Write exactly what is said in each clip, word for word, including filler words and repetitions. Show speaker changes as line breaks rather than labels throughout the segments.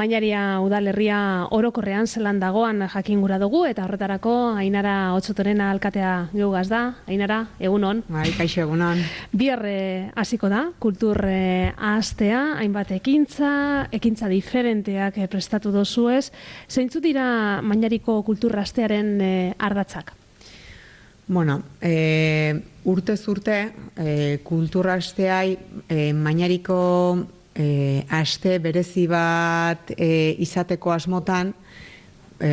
Mañaria udalerria orokorrean zelan dagoan jakin gura dugu, eta horretarako Ainara Otsotorena alkatea geugaz da. Ainara, egunon.
Bai, kaixo egunon.
Bihar hasiko da, kultur ahastea, hainbat ekintza, ekintza diferenteak prestatu dozuez. Zeintzu dira Mañariko kultur astearen ardatzak?
Bueno, e, urtez urte, e, kultur asteai e, Mañariko E, aste berezi bat e, izateko asmotan e,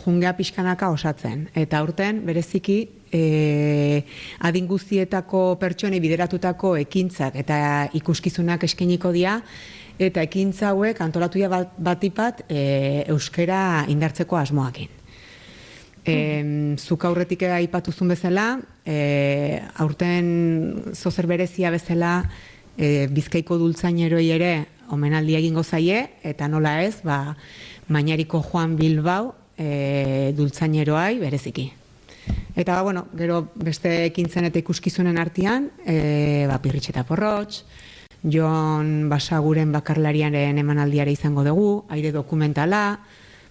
jungea pixkanaka osatzen. Eta urten bereziki e, adin guztietako pertsonei bideratutako ekintzak eta ikuskizunak eskainiko dira, eta ekintza hauek antolatuia bat, batipat e, euskera indartzeko asmoakin. E, zuk aurretik aipatuzun bezala, e, aurten zozer berezia bezala, E, Bizkaiko dultzainaroi ere omenaldia egingo zaie, eta nola ez, ba, Mañariko Juan Bilbao e, dultzaineroai bereziki. Eta, ba, bueno, gero beste ekintzen eta ikuskizunen artean, e, ba, Pirritx eta Porrotx, Jon Basaguren bakarlariaren emanaldiare izango dugu, aire dokumentala,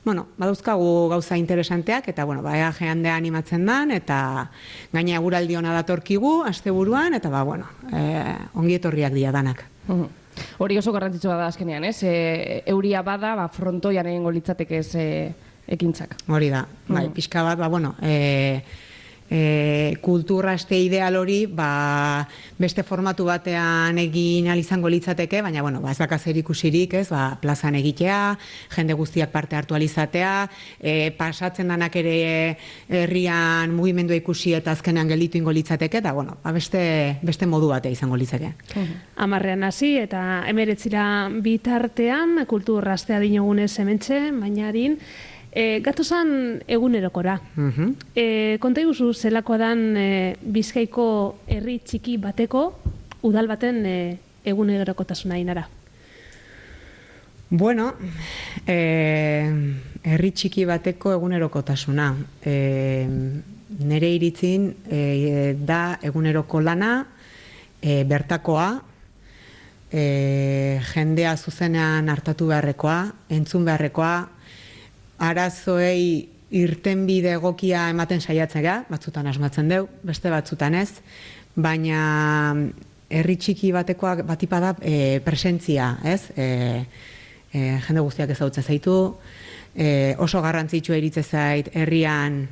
bueno, badauzkagu gauza interesanteak, eta, bueno, ba, ea jendea animatzen dan, eta gaina eguraldi hona datorkigu, asteburuan, eta, ba, bueno, e, ongi etorriak dira danak.
Uhum. Hori oso garrantzitsua da azkenean, ez? E, euria bada, ba, frontoian egingo litzateke ez e, ekintzak.
Hori da, bai, pixka bat, ba, bueno, e, e, kultura aste ideal hori, ba, beste formatu batean egin ahal izango litzateke, baina, bueno, ba, ez daka zer ikusirik, ez, ba, plazan egitea, jende guztiak parte hartu ahal izatea, e, pasatzen danak ere herrian mugimendua ikusi eta azkenean gelditu ingo litzateke, eta, bueno, ba, beste, beste modu batea izango litzake.
Amarrean hasi eta emeretzira bitartean, kultur astea dinogunez hementxe, Mañarin, E, gatozan egunerokora. Uh-huh. E, konta iguzu zelakoa dan e, Bizkaiko herri txiki bateko udal baten e, egunerokotasuna Ainara?
Bueno, e, herri txiki bateko egunerokotasuna. E, nere iritzin e, da eguneroko lana, e, bertakoa, e, jendea zuzenean hartatu beharrekoa, entzun beharrekoa, arazoei irtenbide egokia ematen saiatzea, batzutan asmatzen deu, beste batzutan ez, baina herri txiki batekoak batipada e, presentzia, ez? E, e, jende guztiak ezagutzen zaitu, e, oso garrantzitsua iritze zait herrian,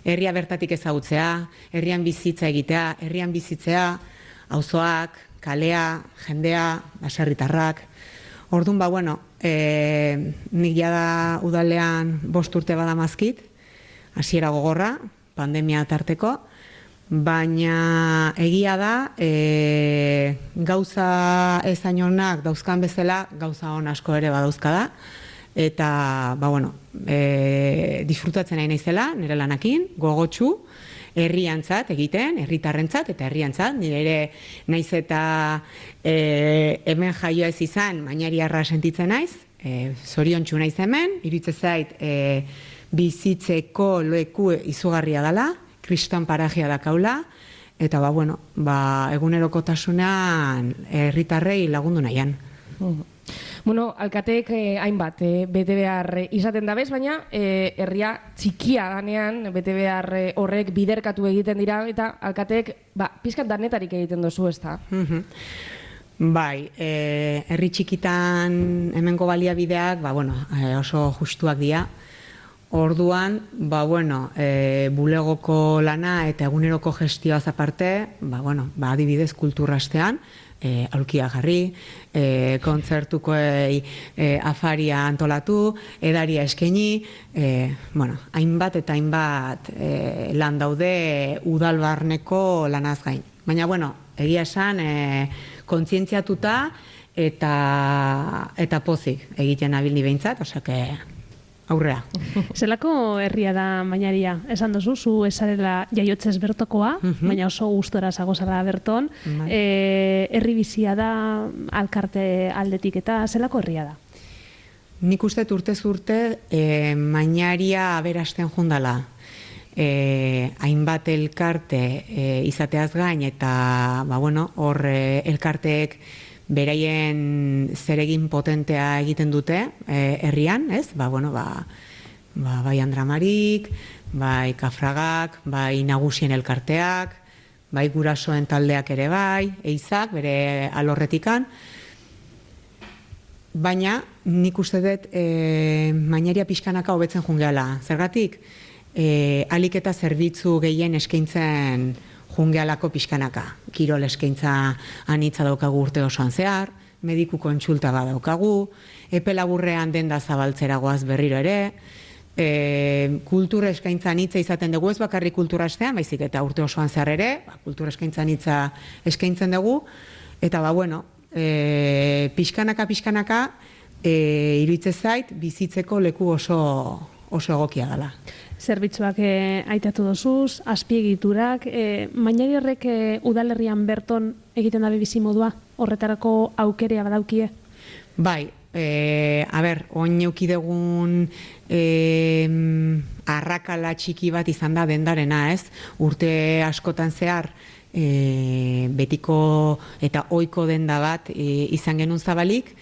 herria bertatik ezagutzea, herrian bizitza egitea, herrian bizitzea, auzoak, kalea, jendea, baserritarrak. Orduan, ba, bueno, e, nik jada udalean bost urte badamazkit, hasiera gogorra, pandemia tarteko, baina egia da, e, gauza ezainonak dauzkan bezala, gauza on asko ere badauzka da, eta, ba, bueno, e, disfrutatzen nahi naizela, nire lanakin, gogotsu, herriantzat egiten, herritarrentzat eta herriantzat, nire ere naiz eta e, hemen jaio ez izan, Mañariarra sentitzen naiz, e, zoriontsu naiz hemen, iritze zait e, bizitzeko leku izugarria dela, kriston parajea dakaula, eta ba, bueno, ba, egunerokotasunean herritarrei lagundu nahian.
Uh-huh. Bueno, alkateek eh, hainbat, eh, bete behar eh, izaten dabez, baina eh, herria txikia danean, bete behar eh, horrek biderkatu egiten dira, eta alkateek, ba, pizkat danetarik egiten dozu, ez da?
Uh-huh. Bai, eh, herri txikitan hemengo baliabideak, ba, bueno, eh, oso justuak dira. Orduan, ba, bueno, e, bulegoko lana eta eguneroko gestioaz aparte, ba, bueno, ba, adibidez kulturastean, e, aulkia jarri, e, kontzertukoei e, afaria antolatu, edaria eskaini, e, bueno, hainbat eta hainbat e, lan daude udalbarneko lanaz gain. Baina, bueno, egia esan, e, kontzientziatuta eta, eta pozik egiten abildi behintzat, osake, aurrea.
Zelako herria da Mañaria? Esan dozu, zu esarela jaiotzez bertokoa, uh-huh. baina oso gustora zagozara berton. Uh-huh. E, herri bizia da, alkarte aldetik eta zelako herria da?
Nik uste urtez urte e, Mañaria aberasten jundala. E, hainbat elkarte e, izateaz gain eta ba, bueno, hor e, elkarteek beraien zeregin potentea egiten dute e, herrian, ez? Ba, bueno, ba, ba, bai Andramarik, bai Kafragak, bai Nagusien elkarteak, bai gurasoen taldeak ere bai, eizak, bere alorretikan. Baina, nik uste dut, e, mainaria pixkanaka hobetzen jungeala. Zergatik, e, alik eta zerbitzu gehien eskaintzen jungealako pixkanaka. Kirol eskaintza anitza daukagu urte osoan zehar, mediku kontsulta badaukagu, epe laburrean denda zabaltzera goaz berriro ere, e, kultura eskaintza anitza izaten dugu, ez bakarrik kultura astean, baizik eta urte osoan zehar ere, ba, kultura eskaintza anitza eskaintzen dugu, eta ba, bueno, e, pixkanaka, pixkanaka, e, iruditzen zait, bizitzeko leku oso, oso egokia dela.
Zerbitzuak e, aitatu dozuz, azpiegiturak, e, mainari horrek e, udalerrian berton egiten dabe bizi modua, horretarako aukerea badaukie?
Bai, e, a ber, oin eukidegun e, arrakala txiki bat izan da dendarena, ez? Urte askotan zehar, e, betiko eta ohiko denda bat e, izan genuen zabalik,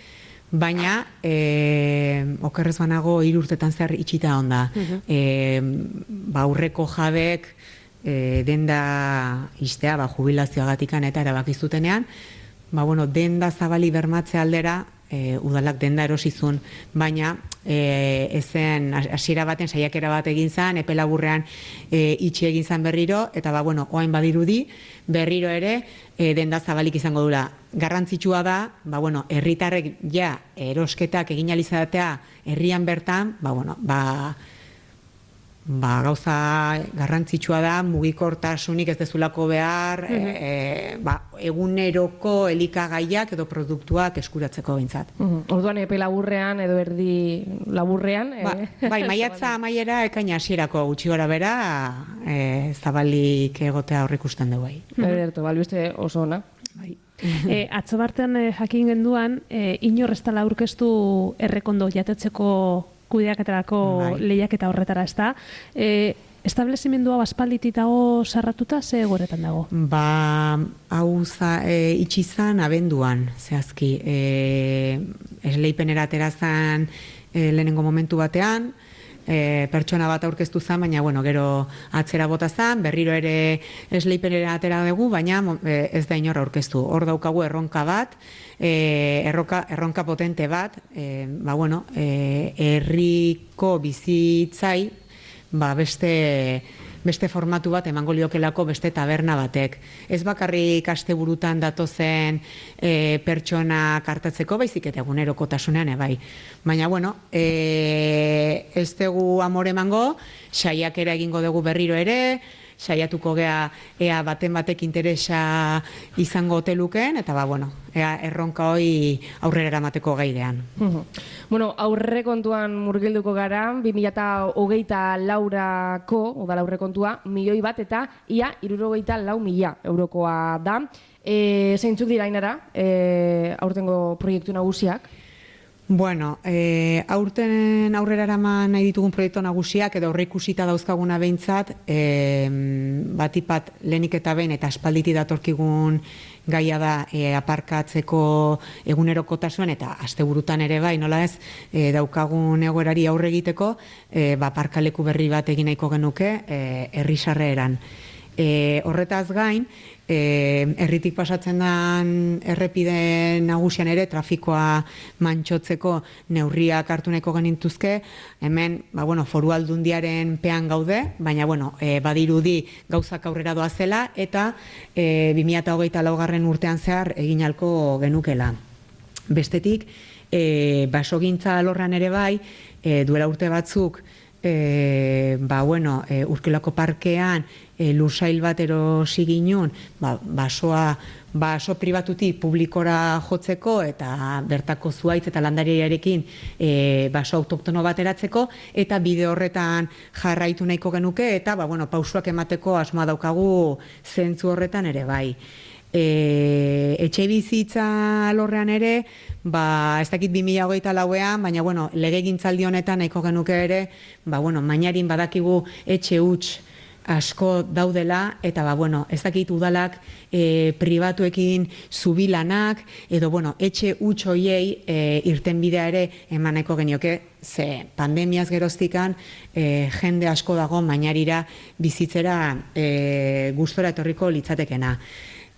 baina e, okerrez banago hiru urtetan zehar itxita onda. Uh-huh. e, ba, aurreko jabek e, denda istea, ba, jubilazioagatikan eta erabakizutenean, ba, bueno, denda zabali bermatze aldera, e, udalak denda erosizun, baina e, ezen hasiera baten saiakera bat egin zan, epe laburrean e, itxi egin zan berriro, eta ba, bueno, oain badirudi, berriro ere, e, denda zabalik izango dula. Garrantzitsua da, ba, bueno, herritarrek ja erosketak egin alizatea herrian bertan, ba, bueno, ba, ba, gauza garrantzitsua da, mugikortasunik ez dezulako behar, mm-hmm. e, e, ba, eguneroko elikagaiak edo produktuak eskuratzeko behintzat.
Mm-hmm. Orduan epe laburrean edo erdi laburrean.
Ba,
eh?
Bai, maiatza amaiera ekaina hasierako gutxi gora bera, e, zabalik egotea aurrikusten dugu.
Mm-hmm. Ederto, balbiste oso ona.
Bai.
E, atzo bartean e, jakin genduan, e, inor ez dela aurkeztu errekondo jatetzeko kudeaketarako bai. Lehiaketa horretara, ez da? E, establezimendua baspalditik dago sarratuta, ze goretan dago?
Ba, hau za, e, itxizan abenduan, zehazki. E, esleipenera aterazan e, lehenengo momentu batean, E, pertsona bat aurkeztu zen, baina bueno, gero atzera bota zen, berriro ere esleipenera atera dugu, baina e, ez da inor aurkeztu. Hor daukagu erronka bat, e, erronka, erronka potente bat, e, ba bueno, e, herriko bizitzai, ba beste beste formatu bat emango liokelako beste taberna batek. Ez bakarrik asteburutan datozen e, pertsona kartatzeko, baizik eta egunerokotasunean ebai. Baina, bueno, e, ez dugu amore emango, saiakera egingo dugu berriro ere, saiatuko gea ea baten batek interesa izango oteluken, eta ba, bueno, ea erronka hoi aurrera eramateko gaidean.
Uh-huh. Bueno, aurre kontuan murgilduko gara, bi mila hogeita laurako, oda aurre kontua, milioi bat eta ia hirurogeita lau mila eurokoa da. E, zeintzuk dira Ainara, e, aurtengo proiektu nagusiak?
Bueno, e, aurten aurrera eraman nahi ditugun proiektu nagusiak edo aurreikusita dauzkaguna behintzat, e, batipat lehenik eta behin eta aspalditi datorkigun gaia da e, aparkatzeko egunerokotasuen eta asteburutan ere bai, nola ez, e, daukagun egoerari aurre egiteko, e, ba, parkaleku berri bat egin nahiko genuke e, herrisarreeran. E, horretaz gain, E, erritik pasatzen den errepide nagusian ere trafikoa mantxotzeko neurriak hartu nahiko genituzke, hemen ba, bueno, foru aldundiaren pean gaude, baina bueno, e, badirudi gauzak aurrera doa zela eta e, bi mila hogeita laugarren urtean zehar egin ahalko genukela. Bestetik, e, basogintza alorran ere bai, e, duela urte batzuk, E, ba, bueno, e, Urkiolako parkean e, lursail bat erosi ginun, ba, basoa, baso pribatutik publikora jotzeko eta bertako zuaitz eta landariarekin e, baso autoktono bat eratzeko, eta bide horretan jarraitu nahiko genuke, eta ba, bueno, pausuak emateko asmoa daukagu zentzu horretan ere bai. E, etxe bizitza alorrean ere, ba, ez dakit bi mila hogeita lauean, baina bueno, legegintzaldi honetan nahiko genuke ere, ba, bueno, mainarin badakigu etxe huts asko daudela, eta ba, bueno, ez dakit udalak e, pribatuekin zubilanak, edo, bueno, etxe huts hoiei e, irtenbidea ere emaneko genioke, ze pandemiaz geroztikan e, jende asko dago mainarira bizitzera e, gustora etorriko litzatekena.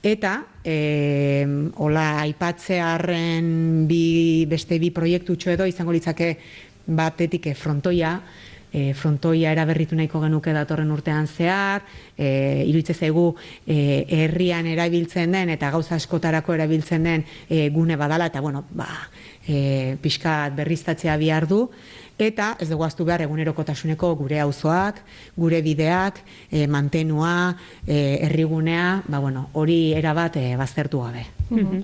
Eta, e, hola, aipatzearren bi, beste bi proiektutxo edo izango litzake batetik frontoia, E, frontoia eraberritu nahiko genuke datorren urtean zehar, e, iruditzen zaigu e, herrian erabiltzen den eta gauza askotarako erabiltzen den e, gune badala, eta bueno, ba, e, pixkat berriztatzea bihar du, eta ez dugu ahaztu behar egunerokotasuneko gure auzoak, gure bideak, e, mantenua, e, herrigunea, ba, bueno, hori erabat e, baztertu gabe.
Mm-hmm.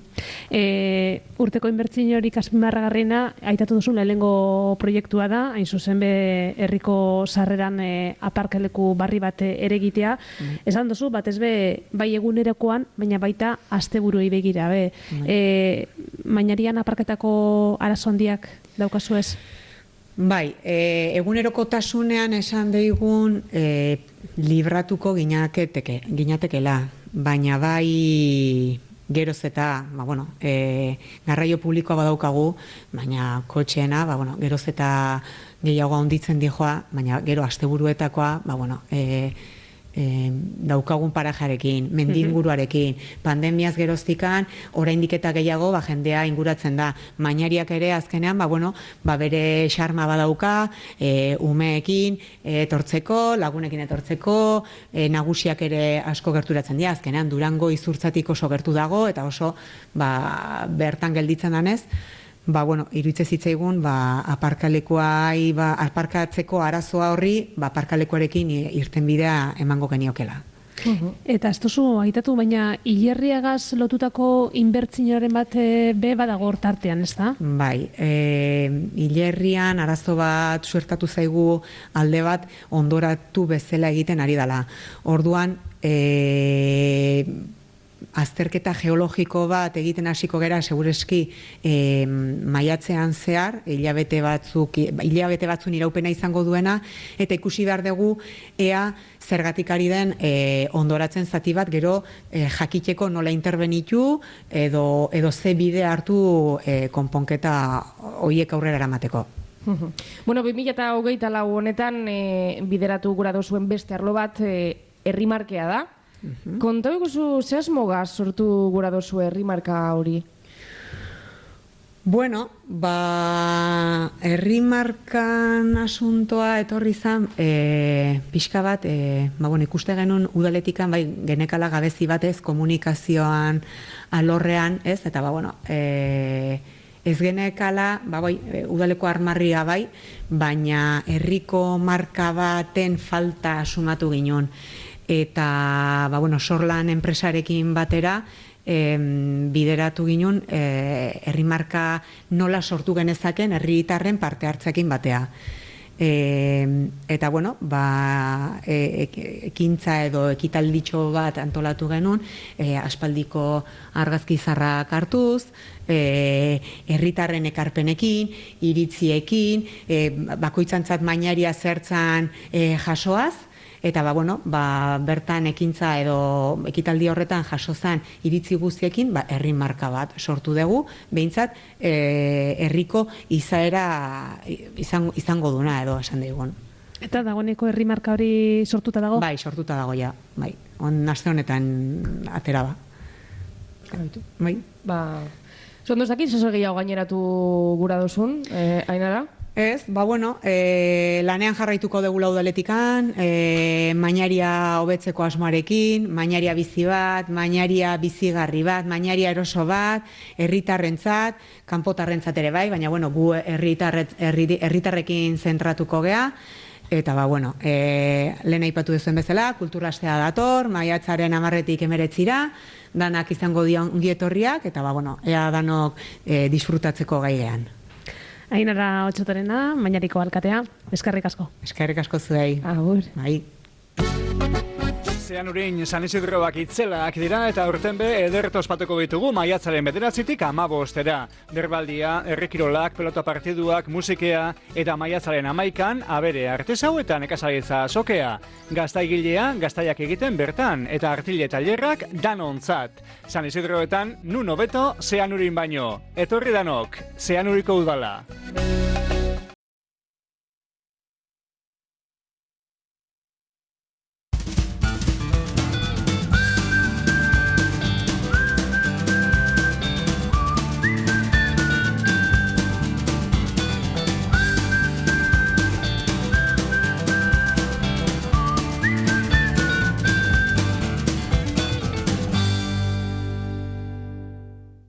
e, urteko inbertsio hori azpimarragarriena aitatu duzu lehenengo proiektua da, hain zuzen be herriko sarreran e, aparkaleku barri bat ere egitea. Mm-hmm. Esan duzu, batez be bai egunerokoan, baina baita asteburuei begira be. Mm-hmm. e, Mainarian aparketako arazo handiak daukazu ez?
Bai, e, egunerokotasunean esan deigun e, libratuko ginateke, ginatekela, baina bai geroz eta, ba, bueno, e, garraio publikoa badaukagu, baina kotxeena, ba, bueno, geroz eta gehiago handitzen dijoa, baina gero asteburuetakoa, ba, bueno, e, e, daukagun parajarekin, mendinguruarekin, pandemiaz geroztikan, oraindik eta gehiago, ba, jendea inguratzen da. Mainariak ere azkenean, ba, bueno, ba, bere xarma badauka, e, umeekin etortzeko, lagunekin etortzeko, e, nagusiak ere asko gerturatzen dira, azkenean Durango izurtzatik oso gertu dago, eta oso ba, bertan gelditzen danez, ba, bueno, iruditzen zitzaigun, ba, aparkalekuai, ba, aparkatzeko arazoa horri, ba, aparkalekuarekin irtenbidea emango geniokela.
Uh-huh. Eta ez duzu aitatu, baina hilerriagaz lotutako inbertsioaren bat be badago hortartean, ez da?
Bai, e, hilerrian arazo bat suertatu zaigu alde bat ondoratu bezala egiten ari dela. Orduan, e, azterketa geologiko bat egiten hasiko gera segureski e, maiatzean zehar, hilabete batzuk, hilabete batzun iraupena izango duena, eta ikusi behar dugu ea zergatik ari den e, ondoratzen zati bat gero e, jakiteko nola interbenitu edo, edo ze bide hartu e, konponketa horiek aurrera eramateko.
Bueno, bi mila hogeita lau honetan e, bideratu gura dozuen beste arlo bat e, herrimarkea da. Uh-huh. Kontau iguzu, ze asmogaz sortu gura dozu herrimarka hori?
Bueno, ba, herrimarkan asuntoa etorri zan, e, pixka bat, e, ba, bueno, ikuste genuen udaletikan, bai, genekala gabezi batez, komunikazioan, alorrean, ez, eta, ba, bueno, e, ez genekala, ba, bai, udaleko armarria bai, baina herriko marka baten falta asumatu ginen. Eta, ba, bueno, Sorlan enpresarekin batera, em, bideratu ginen, e, herrimarka nola sortu genezaken herritarren parte hartzekin batea. E, eta, bueno, ba, e, ekintza edo ekitalditxo bat antolatu genuen, e, aspaldiko argazkizarrak hartuz, e, herritarren ekarpenekin, iritziekin, e, bakoitzantzat mainaria zertzan e, jasoaz, eta ba, bueno, ba, bertan ekintza edo ekitaldi horretan jaso zen iritzi guztiekin, ba, herri marka bat sortu dugu, behintzat e, herriko izaera izango, izango duna edo esan digun.
Eta dagoeneko herri marka hori sortuta dago?
Bai, sortuta dago ja, bai. On aste honetan atera da. Bai.
Ba, zondo ez dakit, zozo gehiago gaineratu gura dozun, eh, Ainara?
Ez, ba, bueno, e, lanean jarraituko degula udaletikan, e, mainaria hobetzeko asmoarekin, mainaria bizi bat, mainaria bizigarri bat, mainaria eroso bat, herritarrentzat, kanpotarrentzat ere bai, baina, bueno, gu herritarrekin zentratuko gea, eta, ba, bueno, e, lehen aipatu duzuen bezala, kulturastea dator, maiatzaren hamarretik hemeretzira, danak izango dion ongietorriak, eta, ba, bueno, ea danok e, disfrutatzeko gaigean.
Ainara Otsotorena, Mainariko alkatea, eskerrik asko.
Eskerrik asko zuei.
Agur.
Bai.
Zeanurin San Isidroak itzelak dira eta urten be ederto ospatuko ditugu maiatzaren bederatzitik hamabostera. Berbaldia, herrikirolak, pelota partiduak, musikea eta maiatzaren hamaikan abere artesau eta nekazaritza sokea. Gaztaigilea, gaztaiak egiten bertan eta artile tailerrak danontzat. San Isidroetan nun hobeto Zeanurin baino. Etorri danok, Zeanuriko udala.